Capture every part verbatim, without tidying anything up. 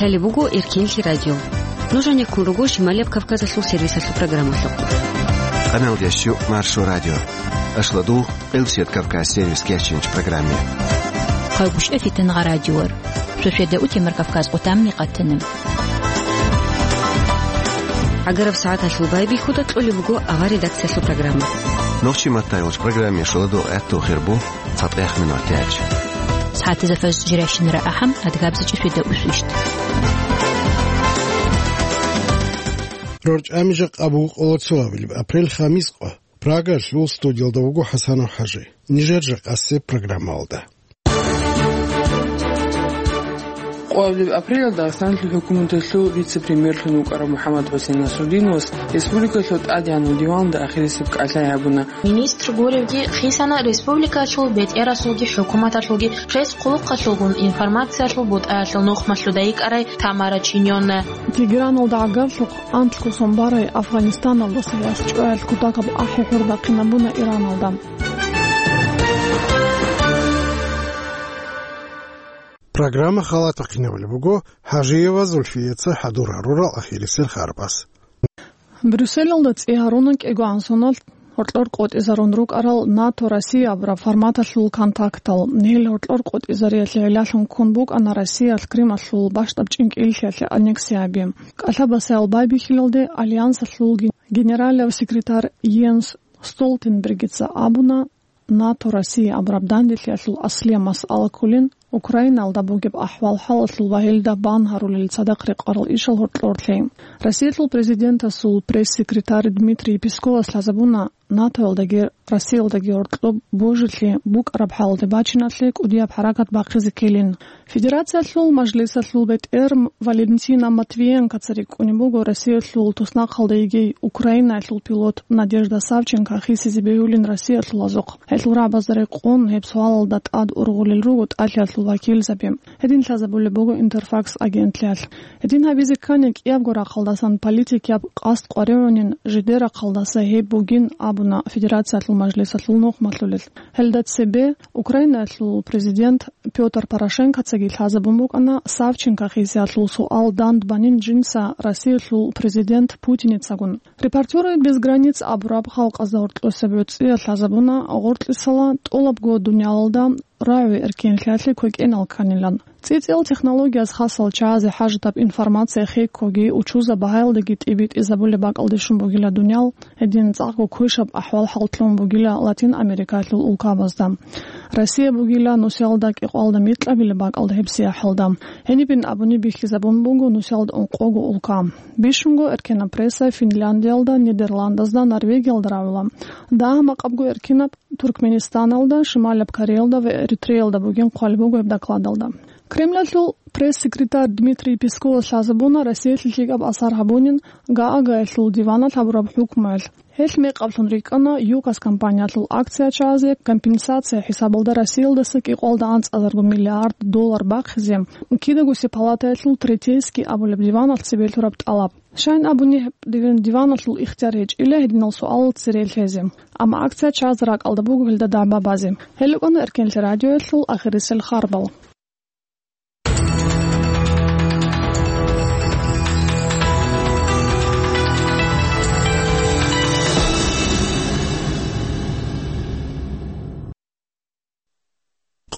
Гьале буго Эркенлъи радио. Нуж гьанеккун руго Шималияб Кавказалъул сервисалъул программалъухъ. Къаналдеш чу Маршо радио. Ашладул Къилсият Кавказ сервис кечинч программе. Хъайгъушев Фитангъа радиор. Шошеда утемар Кавказ къутамни къатана. Агараб сагӀаталъул байбихьуда кьолеб буго авар редакциялъул программа. Нохчи маттайолч программе шуладу гӀатту хирбу. ЦатӀех минутач. СагӀатизе фаз жирайщинара ахӀам, адгабзичӀи фида усвищт. РорчӀами жакъа буго къоло цоабилеб апрель хамис къо. Прагалъул студиялда вуго ХӀасанов ХӀажи. Нижер жакъасеб программалда. Къоабилеб апрелалда Дагъистаналъул хӀукуматалъул вице-премьерлъун вукӀарав МухӀаммад ХӀусейн Насрудиновас республикалъул тӀадегӀанав диванда ахирисеб кӀалъай гьабуна. Министр гуревги хисана республикалъул бетӀералъулги хӀукуматалъулги жез хъулухъалъулгун информациялъул бутӀаялъул нухмалъуда йикӀарай Тамара Чиньонна. Тегераналда гӀагарлъухъ анлъго сон барай Афганистаналдаса яс чӀваялъ кутакаб ахӀи-хӀур бахъинабуна Ираналда. Программа халатахъинабулеб буго ХӀажиева Зульфияца хӀадур гьарурал ахирисел харбаз. Брюсселалда цӀи гьаруна кӀигоан соналъ гьоркьор къотӀизарун рукӀарал НАТО Россия абураб форматалъул контактал. Гьел гьоркьор къотӀизариялъе гӀиллалъун ккун букӀана Россиялъ Крымалъул бащдаб чӀинкӀиллъиялъе аннексия гьаби. КӀалъабасаял байбихьилалде Альянсалъул ген-, генералав секретарь Йенс Столтенбергица абуна, НАТО Россия абураб данделъиялъул аслияб масъала кколин Украиналда бугеб ахӀвал-хӀалалъул ва гьелда бан гьарулел цадахъ рекъарал ишал гьоркьорлъи. Россиялъул президентасул пресс-секретарь Дмитрий Песковас лъазабуна, НАТОялдаги Россиялдаги гьоркьоб божилъи букӀараб хӀалалде бачиналъе кӀудияб хӀаракат бахъизе ккелин. Федерациялъул Мажлисалъул бетӀер Валентина Матвиенкоца рикӀкӀунеб буго Россиялъул туснахъалда йигей Украинаялъул пилот Надежда Савченко хисизе бегьулин Россиялъул азухъ. Гьелъул рагӀабазда рекъон гьеб суалалда тӀад ургъулел руго ТӀалъиялъул вакилзаби. Гьедин лъазабулеб буго Интерфакс агентлъиялъ. Гьедин гьабизе ккани кӀиябго рахъалдасан политикияб къасд къваригӀунин, жидер рахъалдаса гьеб бугин абуна Федерациялъул Мажлисалъул нухмалъулел. Гьелда цебе Украинаялъул президент Пётр Порошенкоцаги лъазабун букӀана Савченко хисиялъул суал дандбанин жинца Россиялъул президент Путиницагун. Репортёры без границ абураб халкъазда гьоркьосеб гӀуцӀиялъ лъазабуна гъоркьисала тӀолабго дуниялалда рагӀи эркенлъиялъе квекӀенал кканилан. ЦӀицӀил технологияз хасал чагӀазе хӀажатаб информация хеккоги учузаб багьаялдаги тӀибитӀизабулеб бакӀалде щун бугила дуниял, гьедин цӀакъго квешаб ахӀвал-хӀал лъун бугила Латин Америкалъул улкабазда. Россия бугила нусиялда кӀикъоялда микьабилеб бакӀалда гьебсияхӀалда. Гьенибин абуни бихьизабун буго нусиялда ункъого улка. Бищунго эркенаб пресса Финляндиялда, Нидерландазда, Норвегиялда рагӀула. Дагьа-макъабго эркенаб Туркменистаналда, Шималияб Кореялда ва Эритреялда бугин хъвалеб буго гьеб докладалда. Кремлалъул пресс-секретарь Дмитрий Песковас лъазабуна Россиялъе лъикӀаб асар гьабунин Гаагаялъул диваналъ гьабураб хӀукмуялъ. Гьелъ мекъаблъун рикӀкӀана ЮКОС компаниялъул акция чагӀазе компенсация хӀисабалда Россиялдаса кӀикъоялда анцӀазарго миллиард доллар бахъизе, кидаго палатаялъул Третейский абулеб диваналъ цебе лъураб тӀалаб. Щайин абуни, гьеб диваналъул ихтияр гьечӀила гьединал суалал цере лъезе. Амма акция чагӀаз ракӀалда буго гьелда дагӀба базе. Гьел рукӀана Эркенлъи радиоялъул ахирисел харбал.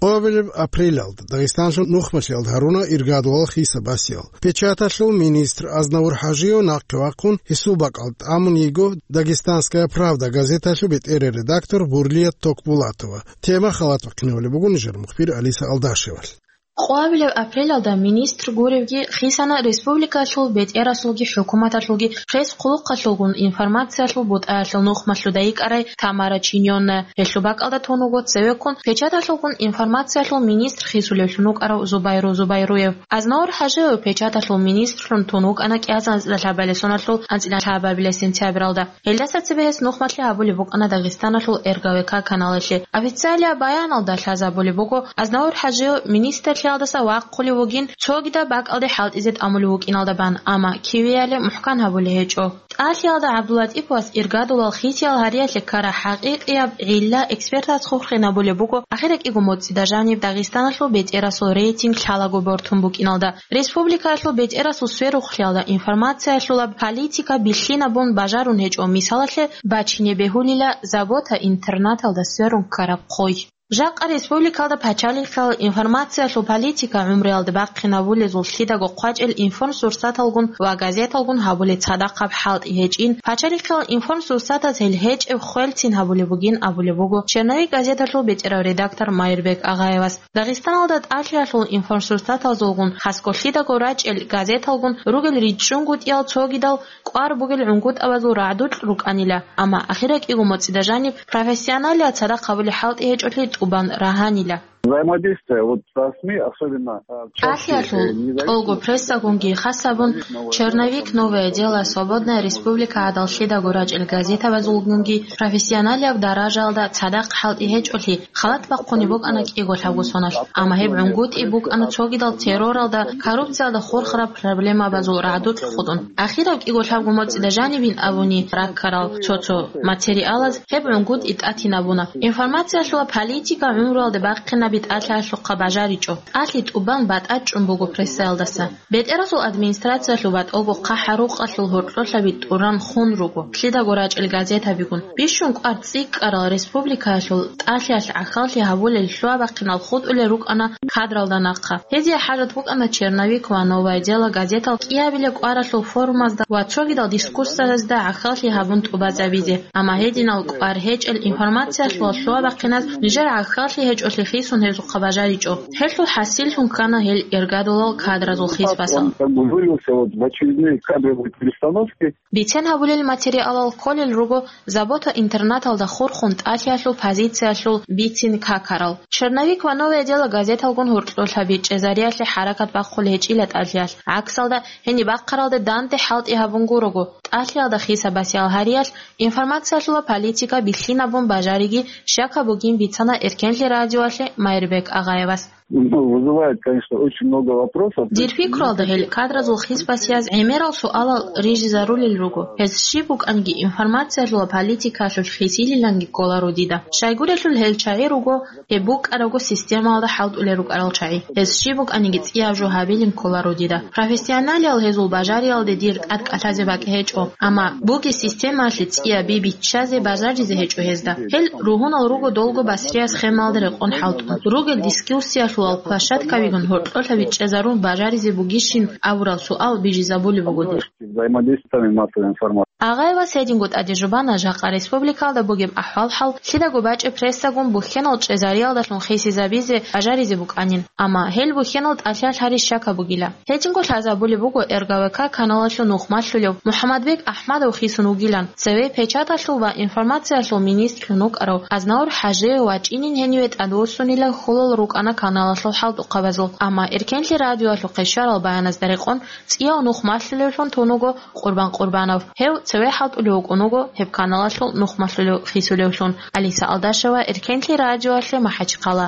Къоабилеб апрелалда Дагъистанлъун нухмалъиялда гьаруна иргадулал хисаб басиял. Печаталъул министр Азнавур ХӀажиев нахъе вахъун гьесул бакӀалда тӀамун йиго «Дагестанская правда» газеталъул бетӀерей редактор Бурлият Токбулатова. Тема халатухъинабулеб буго нижер мухбир Алиса Алдашевалъ. Къоабилеб апрелалда министр гуревги хисана республикалъул бетӀералъулги хӀукуматалъулги жез хъулухъалъулгун информациялъул бутӀаялъул нухмалъуда йикӀарай Тамара Чиньонна. Гьелъул бакӀалда тун вуго цевеккун печаталъулгун информациялъул министр хисулевлъун вукӀарав Зубайру Зубайруев. Азнавур ХӀажиев печаталъул министрлъун тун вукӀана кӀиазан анцӀила лъабабилеб соналъул анцӀила лъабабилеб сентябралда. Гьелдаса цебе гьес нухмалъи гьабулеб букӀана Дагъистаналъул РГВК каналалъе. Официалияб баяналда лъазабулеб буго, Азнавур ХӀажиев министр ТӀалъиялдаса вахъулев вугин, цогидаб бакӀалде хӀалтӀизе тӀамулев вукӀиналда бан, амма кивеялъе мухӀкан гьабулей гьечӀо. ТӀалъиялда ГӀабдулатӀиповас иргадулал хисиял гьариялъе ккараб хӀакъикъияб гӀилла экспертаз хурхинабулеб буго, ахиракӀиго моцӀида жаниб Дагъистаналъул бетӀерасул рейтинг лъалаго бортун букӀиналда. Республикаялъул бетӀерасул сверухълъиялда информациялъулаб политика бихьинабун бажарун гьечӀо, мисалалъе, бачине бегьулила Забота интернаталда сверун ккараб хъой. Жакъа республикалда пачалихъал информациялъул политика гӀумруялда бахъинабулезул лъидаго хъвачӀел информсурсаталгун ва газеталгун гьабулеб цадахъаб хӀалтӀи гьечӀин, пачалихъал информсурсатаз гьел гьечӀеб хвелцин гьабулеб бугин абулеб буго «Черновик» газеталъул бетӀерав редактор Майрбек Агъаевас. Дагъистаналда тӀалъиялъул информсурсатазулгун, хасго лъидаго рачӀел газеталгун ругел ричӀчӀунгутӀиял цогидал кӀвар бугел гӀунгутӀабазул рагӀдукь рукӀанила, амма ахиракӀиго моцӀида жаниб профессионалияб цадахъ гьабулеб хӀалтӀи гьечӀолъи тӀубан рагьанила. Взаимодействие вот со СМИ, особенно, а, в части, э, ТӀалъиялъул, независимых тӀолго прессагунги, хасабун «Черновик», «Новое дело», «Свободная республика» гӀадал лъидаго рачӀел газетабазулгунги профессионалияб даражаялда цадахъ хӀалтӀи гьечӀолъи, халат бахъунеб букӀана кӀиго лъабго соналъ, амма гьеб гӀунгутӀи букӀана цогидал терроралда, коррупциялда хурхараб проблемабазул рагӀдукь хутӀун. Ахираб кӀиго лъабго моцӀида жанибин абуни раккарал цо-цо материалаз гьеб гӀунгутӀи тӀатинабуна. Информациялъула политика гӀумруялда бахъинаби тӀалъиялъухъа бажаричӀо. ТӀалъи тӀубан батӀачӀун буго прессаялдаса. БетӀерасул администрациялъул батӀалго хъахӀа-рукъалъул гьоркьолъаби тӀуран хун руго, лъидаго рачӀел газетабигун. Бищун кӀвар цӀикӀкӀарал республикаялъул тӀалъиялъ гӀахьаллъи гьабулел лъугьа-бахъинал хутӀулел рукӀана кадралда нахъа. Гьезие хӀажат букӀана «Черновик» ва «Новое дело» газетал кӀиабилеб кӀваралъул форумазда ва цогидал дискуссиязда гӀахьаллъи гьабун тӀубазабизе, амма гьединал кӀвар гьечӀел информациялъул лъугьа-бахъиназ нижер гӀахьаллъи гьечӀолъи хисун гьезухъа бажаричӀо. Гьелъул хӀасиллъун ккана гьел иргадулал кадразул хисбасал. Он как бы вылился вот в очередные кадровые перестановки. Бицен гьабулел материалал кколел руго «Забота» интернаталда хурхун тӀалъиялъул позициялъул бицин какарал. «Черновик» ва «Новое дело» газеталгун гьоркьолъаби чӀезариялъе хӀаракат бахъулеб гьечӀила тӀалъиялъ. ГӀаксалда, гьениб бахъаралде данде хӀалтӀи гьабун гурого, тӀалъиялда хисабасиял гьариялъ информациялъула политика бихьинабун бажариги щака бугин бицана Эркенлъи радиоялъе Майрбек Агъаевас. Ну, вызывает, конечно, очень много вопросов. Дир пикруялда гьел кадразул хисбасияз гӀемерал суалал рижизарулел руго. Гьез щиб букӀанги информациялъула политикалъулъ хисилиланги кколаро дида. Щайгурелъул гьел чагӀи руго, гьеб букӀарабго системалда хӀалтӀулел рукӀарал чагӀи. Гьез щиб букӀаниги цӀияб жо гьабилин кколаро дида. Профессионалиял гьезул бажариялде дир тӀад кӀалъазе бакӀ гьечӀо, амма бугеб системалъе цӀияб би биччазе бажаризе гьечӀо гьезда. Гьел ругьунал руго долго басрияб схемалда рекъон хӀалтӀун. Ругел дискуссиялъулал площадкабигун гьоркьолъаби чӀезарун бажаризе бугищин абурал суал бижизабулеб буго дир. Взаимодействиями массовой информации. Агъаевас гьединго тӀаде жубана жакъа республикалда бугеб ахӀвал-хӀал, лъидаго бачӀеб прессагун бухьенал чӀезариялдалъун хисизабизе бажаризе букӀанин, амма гьел бухьенал тӀалъиялъ гьари щака бугила. Гьединго лъазабулеб буго РГВК каналалъул нухмалъулев МухӀаммадбек АхӀмадов хисун вугилан. Цеве печаталъул ва информациялъул министрлъун вукӀарав Азнавур ХӀажиев вачӀинин гьениве тӀадвуссунила хьулал рукӀана каналалъул хӀалтӀухъабазул, амма Эркенлъи радиоялъухъе щварал баяназда рекъон цӀияв нухмалъулевлъун тун вуго Къурбан Къурбанов. Гьев цеве хӀалтӀулев вукӀун вуго гьеб каналалъул нухмалъулев хисулевлъун. Алиса Алдашева, Эркенлъи радиоялъе, МахӀачхъала.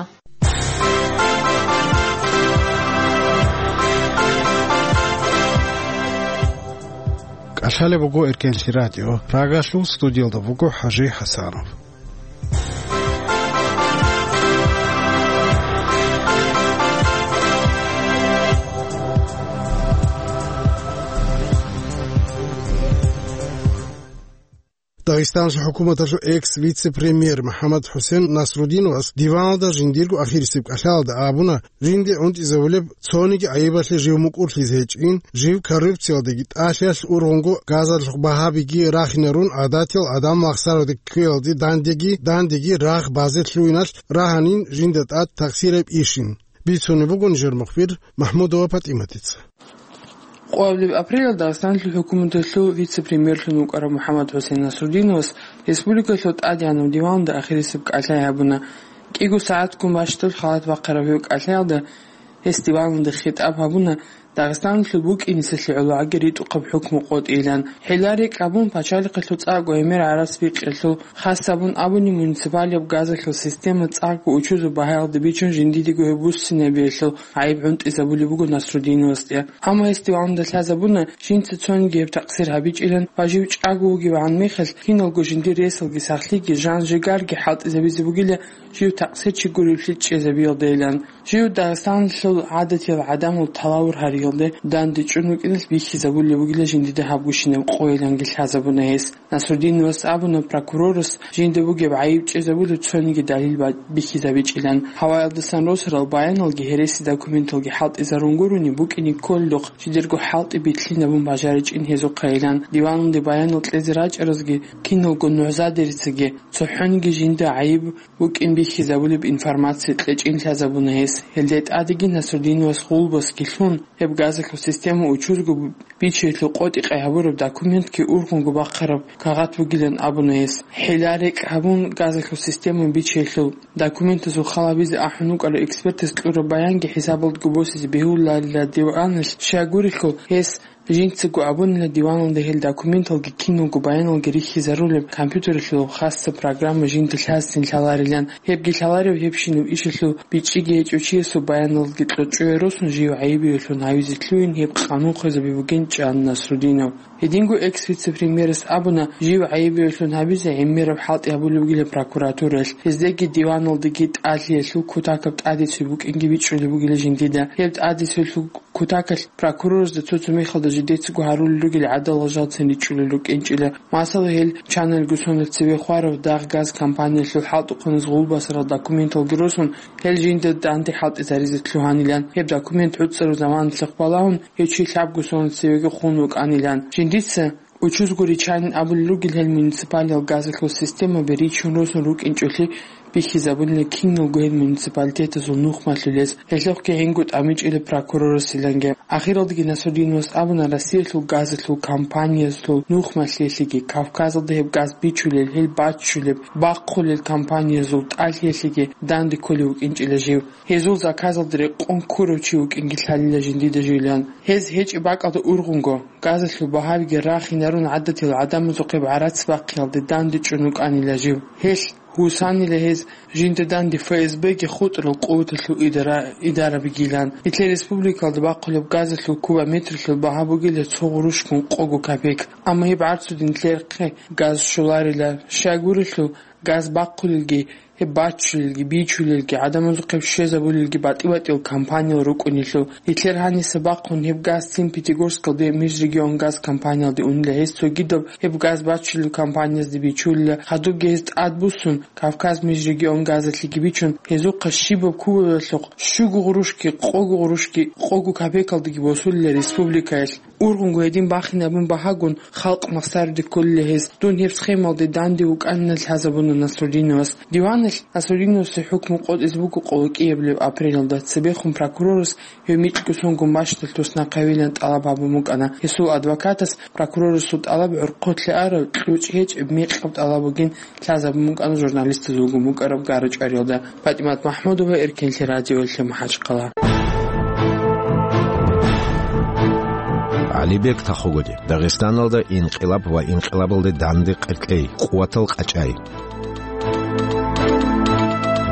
КӀалъалеб буго Эркенлъи радио. Прагалъул студиялда буго ХӀажи ХӀасанов. Дагъистаналъул хӀукуматалъул экс-вице-премьер МухӀаммад ХӀусен Насрудиновас диваналда жиндирго ахирисеб кӀалъалда абуна, жинде гӀунтӀизабулеб цониги гӀайибалъе жив мукӀурлъизе гьечӀин, жив коррупциялдаги тӀалъиялъ ургъунго газалъухъ багьабиги рахинарун, гӀадатиял гӀадамал махсараде кквеялде дандеги, дандеги рагъ базе лъугьиналъ рагьанин жинда тӀад такъсираб ишин. Бицунеб буго нижер мухбир МахӀмудова ПатӀиматица. Къоабилеб апрелалда Дагъистаналъул хӀукуматалъул вице-премьерлъун вукӀарав МухӀаммад ХӀусен Насрудиновас республикалъул ТӀадегӀанаб диваналда ахирисеб кӀалъай гьабуна. КӀиго сагӀатгун бащдаб халат бахъараб гьев кӀалъаялда гьес диваналда хитӀаб гьабуна, Дагъистаналъул букӀиниселъе гӀологӀаги ритӀухъаб хӀукму къотӀилан. ХӀилла-рекӀ гьабун, пачалихъалъул цӀакъго гӀемер гӀарац бикьелъул, хас гьабун абуни, муниципалияб газалъул система цӀакъго учузул багьаялде бичун жиндидего гьеб буссинабиялъул гӀайиб гӀунтӀизабулеб буго Насрудиновасде. Амма гьес диваналда лъазабуна, жинца цониги гьеб такъсир гьабичӀилан ва жив чӀаго вугевгӀан мехалъ киналго жиндир ресалги сахлъиги, жан-жигарги хӀалтӀизабизе бугила жив такъсирчи гуревлъи чӀезабиялдайилан. Жив Дагъистаналъул гӀадатиял гӀадамал талавур гьариялде данде чӀун вукӀиналъ бихьизабулеб бугила жиндида гьабгощинаб къойиланги лъазабуна гьес. Насрудиновас абуна, прокурорас жинда бугеб гӀайиб чӀезабулеб цониги далил ба-, бихьизабичӀилан. Гьаваялдасан росарал баяналги гьереси документалги хӀалтӀизарун гурони, букӀине кколелъухъ жидерго хӀалтӀи битлъинабун бажаричӀин гьезухъайилан. Диваналде баянал кьезе рачӀаразги киналго нугӀзадерицаги цохӀониги жинда гӀайиб букӀин бихьизабулеб информация кьечӀин лъазабуна гьес. Гьелде тӀадеги Насрудиновас гъулбасги лъун, гьеб газалъул система учузго бичиялъул къотӀи-къай гьабураб документги ургъунго бахъараб кагъат бугилан абуна гьес. ХӀилла-рекӀ гьабун, газалъул система бичиялъул документазул хал гьабизе ахӀун вукӀарав экспертас кьураб баянги хӀисабалдго босизе бегьуларила диваналъ, щайгурелъул гьес жинцаго абунила диваналда гьел документалги киналго баяналги рихьизарулеб компьютералъул хасаб программа жинда лъазцин лъаларилан. Гьебги лъаларев гьебщинаб ишалъул бичӀчӀиги гьечӀев чиясул баяналги кьучӀуе росун жив гӀайибиялъун гьавизе лъугьин гьеб къанун хвезаби бугин чӀан Насрудинов. Гьединго экс-вице-премьерас абуна, жив гӀайибиялъун гьабизе гӀемераб хӀалтӀи гьабулеб бугила прокуратураялъ, гьездеги диваналдаги тӀадлъиялъул кутакаб тӀадеси букӀинги бичӀчӀулеб бугила жиндида. Гьеб тӀадесиялъул кутакалъ прокуроразда цо-цо мехалда жидецаго гьарулел ругел гӀадалал жалцин ричӀчӀулел рукӀинчӀила. Масала, гьел чанелго сонал цеве хварав дагъ газ компаниялъул хӀалтӀухъаназ гъулбасарал документалги росун, гьел жинда данде хӀалтӀизаризе лъугьанилан. Гьеб документ гӀуцӀараб заманалъухъ балагьун, гьев чи лъабго сонал цевеги хун вукӀанилан. Жиндица учузго ричанин абулел ругел гьел муниципалиял газалъул системаби ричун росун рукӀинчӀолъи бихьизабунила киналго гьел муниципалитетазул нухмалъулез, гьелъухъги гьенго тӀамичӀила прокурорасиланги. Ахиралдаги Насрудиновас абуна, Россиялъул газалъул компаниязул нухмалъиялъеги, Кавказалда гьеб газ бичулел, гьел баччулеб, бахъулел компаниязул тӀалъиялъеги данде кколев вукӀинчӀила жив. Гьезул заказалда рекъон ккурав чи вукӀинги лъалила жиндида живилан. Гьез гьечӀеб бакӀалда ургъунго, газалъул багьабиги рахинарун гӀадатил гӀадамазухъе гӀарац бахъиялде данде чӀун вукӀанила жив. Гьелъ гьусанила гьез жинда данде ФСБ-ги хутӀарал къуваталъул идара-, идарабигилан. Нилъер республикалда бахъулеб газалъул кубометралъул багьа бугила цо гъурущгун къого копейк. Амма гьеб гӀарцудин нилъерхъе газ щоларила. Щайгурелъул газ бахъулелги, гьеб баччулелги, бичулелги, гӀадамазухъе щвезабулелги батӀи-батӀиял компаниял рукӀунелъул. Нилъер гьаниса бахъун гьеб газ цин Пятигорскалде Межрегионгаз компаниялде унила, гьес цогидаб гьеб газ баччулел компаниязде бичулила. Хадубги гьез тӀадбуссун, Кавказ Межрегионгазалъеги бичун, гьезухъа щибаб кубоялъухъ щуго гъурущги, къого гъурущги, къого копейкалдаги босулила республикаялъ. Ургъунго гьедин бахинабун багьагун, халкъ махсаруде кколила гьез. Дун гьеб схемалде данде вукӀанилан лъазабуна Насрудиновас. Диваналъ Насрудиновасе хӀукму къотӀизе буго къоло кӀиабилеб апрелалда. Цебехун прокурорас гьев микьго сонгун бащдалъ туснахъавилан тӀалаб гьабун букӀана. Гьесул адвокатас прокурорасул тӀалаб гӀорхъолъе арав, кьучӀ гьечӀеб мекъаб тӀалаб бугин лъазабун букӀана журналистазулгун букӀараб гара-чӀвариялда. ПатӀимат МахӀмудова, Эркенлъи радиоялъе, МахӀачхъала. ГӀалибек Тахогоди, Дагъистаналда инкъилаб ва инкъилабалде данде къеркьей, къуватал къачӀай.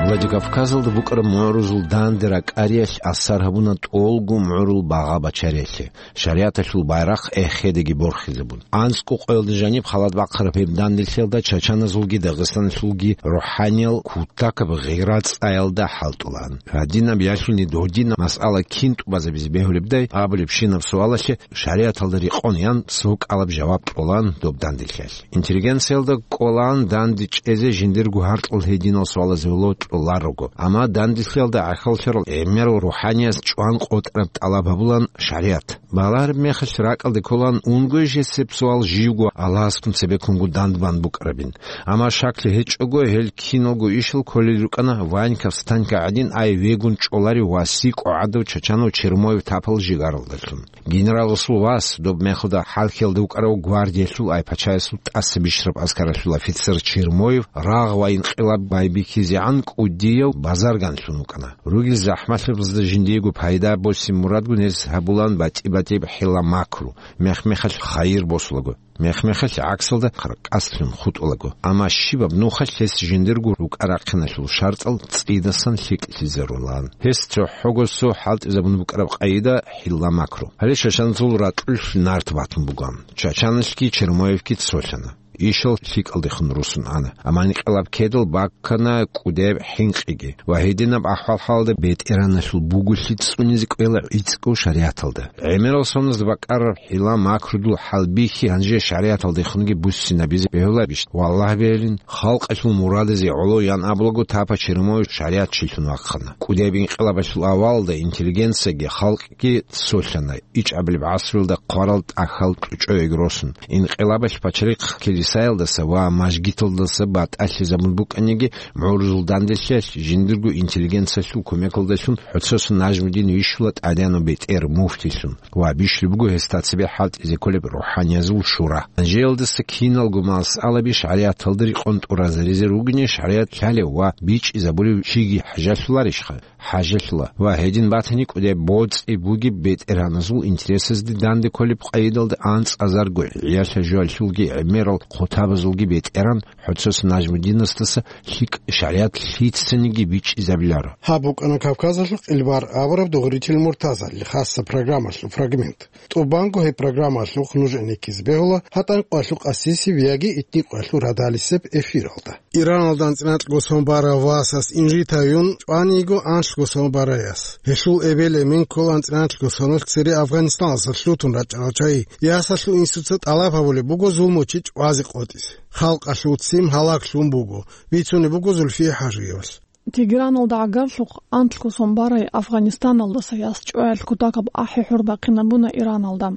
Владикавказалда букӀараб мугӀрузул данде ракӀариялъ асар гьабуна тӀолго мугӀрул багъа бачариялъе, шаригӀаталъул байрахъ эхедаги борхизабун. АнцӀго къоялда жаниб халат бахъараб гьеб данделъиялда чачаназулги дагъистанлъулги рухӀаниял кутакаб гъира-цӀаялда хӀалтӀулаан. Гьадинаб ялъуни додинаб масъала кин тӀубазабизе бегьулебдай абулебщинаб суалалъе шаригӀаталда рекъон ян цо кӀалаб жаваб кьолаан доб данделъиялъ. Интеллигенциялда кӀолаан данде чӀезе жиндирго гьаркьул гьединал суалазе локьуларого, амма данделъиялда гӀахьаллъарал гӀемерал рухӀанияс чӀван къотӀараб тӀалаб гьабулаан шаригӀат. Балагьараб мехалъ ракӀалде кколаан унгоящ гьесеб суал живго Аллагьасгун цебеккунго дандбан букӀарабин. Амма шаклъи гьечӀого, гьел киналго ишал кколел рукӀана Ваньков Станька гӀадин ай вегун чӀоларев ва сикӀо гӀадав Чачанов Чермоев тапал жигаралдалъун. Генераласул вас, доб мехалда хӀалхьиялда вукӀарав гвардиялъул ай пачаясул тӀаса бищараб аскаралъул офицер Чермоев рагъ ва инкъилаб байбихьизегӀан кӀудияв базарганлъун вукӀана. Ругел захӀмалъабазда жиндиего пайда босин мурадгун гьез гьабулан батӀи-батӀияб хӀила-макру, мех-мехалъ хайир босулаго, мех-мехалъ гӀаксалда къаркъаслъун хутӀулаго. Амма щибаб нухалъ гьес жиндирго рукӀа-рахъиналъул шартӀал цӀидасан лъикӀлъизарулаан. Гьес цохӀого цо хӀалтӀизабун букӀараб къайда хӀила-макру. Гьале Чачанзул ракьулъ нарт батун бугоан. Чачаналъги Чермоевги цолъана. Ишал лъикӀалдехун русун ана. Амма инкъилаб ккедал баккана кӀудеб хӀинкъиги. Ва гьединаб ахӀвал-хӀалалда бетӀераналъул буголъи цӀунизе кӀвела гӀицӀго шаригӀаталда. ГӀемерал соналъ бакӀараб хӀила-макрудул хӀалбихьи гьанже шаригӀаталдехунги буссинабизе бегьуларищ? Валлагь, бегьилин, халкъалъул мурадазе гӀоло ян абулаго тапа Чермоев шаригӀатчилъун вахъана. КӀудеб инкъилабалъул авалалда интеллигенцияги халкъги цолъана, ичӀабилеб гӀасрилда хъварал тӀахьал кьучӀояги росун. Инкъилабалъ пачарихъ килисаялдаса ва мажгиталдаса батӀалъизабун букӀаниги, гӀурузул данделъиялъ жиндирго интеллигенциялъул кумекалдалъун ХӀоцосун Нажмудин вищула тӀадегӀанав бетӀер муфтилъун ва бищун буго гьесда цебе хӀалтӀизе кколеб рухӀаниязул шура. Гьанжеялдаса киналго масъалаби шаригӀаталда рекъон тӀуразаризе ругони, шаригӀат лъалев ва бичӀчӀизабулев чиги хӀажалъуларищха? ХӀажалъула. Ва гьедин батани, кӀудеб боцӀи бугеб бетӀергьаназул интересазде данде кколеб къайдалда анцӀазарго гӀиялъа жоялъулги гӀемерал хъутабазулги бетӀеран ХӀоцос Нажмудинасдаса лъикӀ шаригӀат лъицаниги бичӀчӀизабиларо. Гьаб букӀана Кавказалъул къилбар абураб Дугъритил Муртазалил хасса программалъул фрагмент. ТӀубанго гьеб программалъухъ нуж гӀенеккизе бегьула гьатӀан къвалъу къасисеб яги итни къвалъу радалисеб эфиралда. Ираналда анцӀила анкьго сон барав васас инжитаюн чӀваниго анлъго сон барай яс. Гьелъул эбел-эмен ккола анцӀила анлъго соналъ цере Афганистаналдаса лъутун рачӀарал чагӀи. Ясалъул инсуца тӀалаб гьабулеб буго зулмучи чӀвазе къотӀизе. Халкъалъул ццин гьалаглъун буго, бицунеб буго Зульфия ХӀажиевалъ. Тегераналда гӀагарлъухъ анлъго сон барай Афганистаналдаса яс чӀваялъ кутакаб ахӀи-хӀур бахъинабуна Ираналда.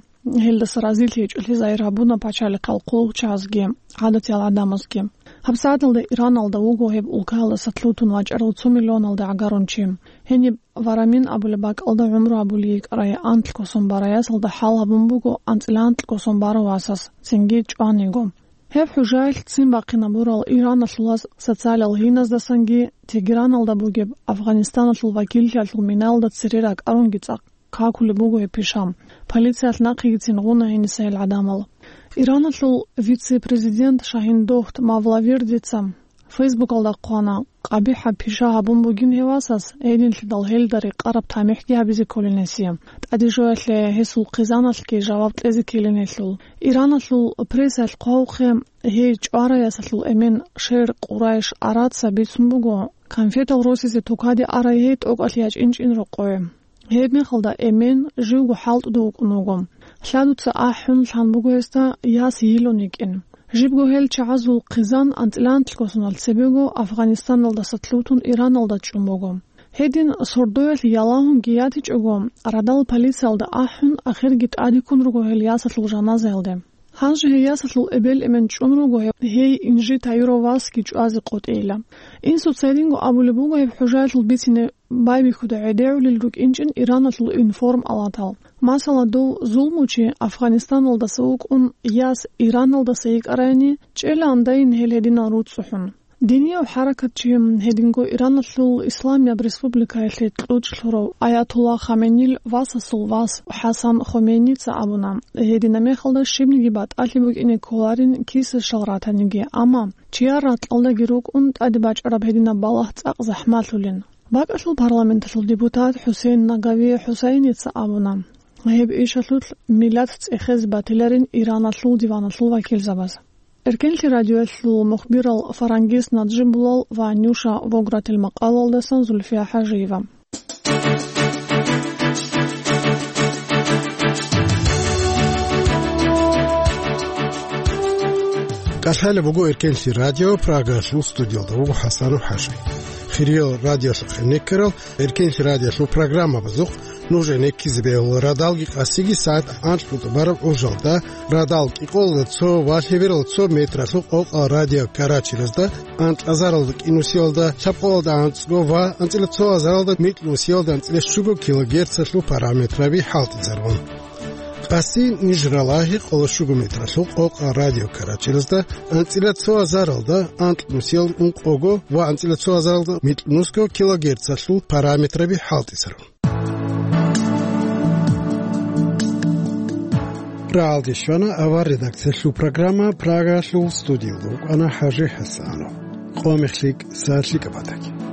Гьелдаса разилъи гьечӀолъи загьир гьабуна пачалихъал хъулухъчагӀазги гӀадатиял гӀадамазги. ГьабсагӀаталда Ираналда вуго гьеб улкаялдаса лъутун вачӀарал цо миллионалда гӀагарун чи. Гьениб Варамин абулеб бакӀалда гӀумру гьабулей йикӀарай анлъго сон барай ясалда хӀал гьабун буго анцӀила анкьго сон барав васас, цинги чӀваниго. Гьеб хӀужаялъ ццин бахъинабурал Ираналъул вас социалал гьиназдасанги Тегераналда бугеб Афганистаналъул вакиллъиялъул минаялда цере ракӀарунги цӀакъ какулеб буго гьеб пиша. Полициялъ нахъегицин гъуна гьениса гьел гӀадамал. Ираналъул вице-президент Шагьиндохт Мавлавирдица Фейсбукалда хъвана, къабихӀаб пиша гьабун бугин гьев васас, гьединлъидал гьелда рекъараб тамихӀги гьабизе кколин гьесие. ТӀаде жоялъе гьесул хъизаналъги жаваб кьезе ккелин гьелъул. Ираналъул прессаялъ хъвавухъе, гьей чӀварай ясалъул эмен Шер Къурайш Араца бицун буго, конфетал росизе тукаде арай гьей тӀокӀалъ ячӀинчӀин рокъове. Гьеб мехалда эмен живго хӀалтӀуда вукӀун вуго. Лъадуца ахӀун лъан буго гьесда яс йилун йикӀин. Жибго гьел чагӀазул хъизан анцӀила анлъго соналъ цебего Афганистаналдаса лъутун Ираналда чӀун буго. Гьедин сордоялъ ялагьунги ятичӀого, радал полициялда ахӀун, ахирги тӀадеккун руго гьел ясалъул жаназаялде. Гьанже гьей ясалъул эбел-эмен чӀун руго гьев, гьей инжитаюрав васги чӀвазе къотӀейилан. Инсуца гьединго абулеб буго гьеб хӀужаялъул бицине байбихьуда гӀедегӀулел рукӀинчӀин Ираналъул информ-алатал. Масала, дов зулмучи Афганистаналдаса вукӀун, яс Ираналдаса йикӀарайни, чӀелаан дайин гьел гьединал руцӀцӀухӀун. Динияв хӀаракатчи, гьединго Ираналъул Исламияб республикаялъе кьучӀ лъурав Аятулла Хаменил васасул вас ХӀасан Хомейница абуна, гьедина мехалда щибниги батӀалъи букӀине кколарин киса щал ратаниги, амма чияр ракьалдаги рукӀун тӀаде бачӀараб гьединаб балагь цӀакъ захӀмалъулин. БакӀалъул парламенталъул депутат ХӀусейн Нагави ХӀусайница абуна, гьеб ишалъулъ миллат цӀехезе батиларин Ираналъул диваналъул вакилзабаз. Эркенлъи радиоялъул мухбирал Фарангис Наджибуллал ва Нюша Вогратил макъалалдасан Зульфия ХӀажиева. КӀалъалеб буго Эркенлъи радио, Прагалъул студиялда вуго ХӀасан ХӀажи. Хириял радиолъухъе некерал Эркенлъи радиолъул программабазухъ Нуж гӀенеккизе бегьула радалги къасиги сагӀат анкьго тӀубараб гӀужалда, радал кӀикъоялда цо ва лъебералда цо метралъул къокъал радио Карачиразда, анкьазаралда кӀинусиялда лъабкъоялда анцӀго ва анцӀила цо азаралда микьнусиялда анцӀила щуго килогерцалъул параметраби хӀалтӀизарун. Къаси ниж ралагьи къоло щуго метралъул къокъа радио Карачиразда, анцӀила цо азаралда анкьнусиялда ункъого ва анцӀила цо азаралда микьнусго килогерцалъул параметраби хӀалтӀизарун. Рагьалде щвана авар редакциялъул программа, Прагалъул студиялда вукӀана ХӀажи ХӀасанов. Къо мехлъи кӀса лъикӀаб батаги.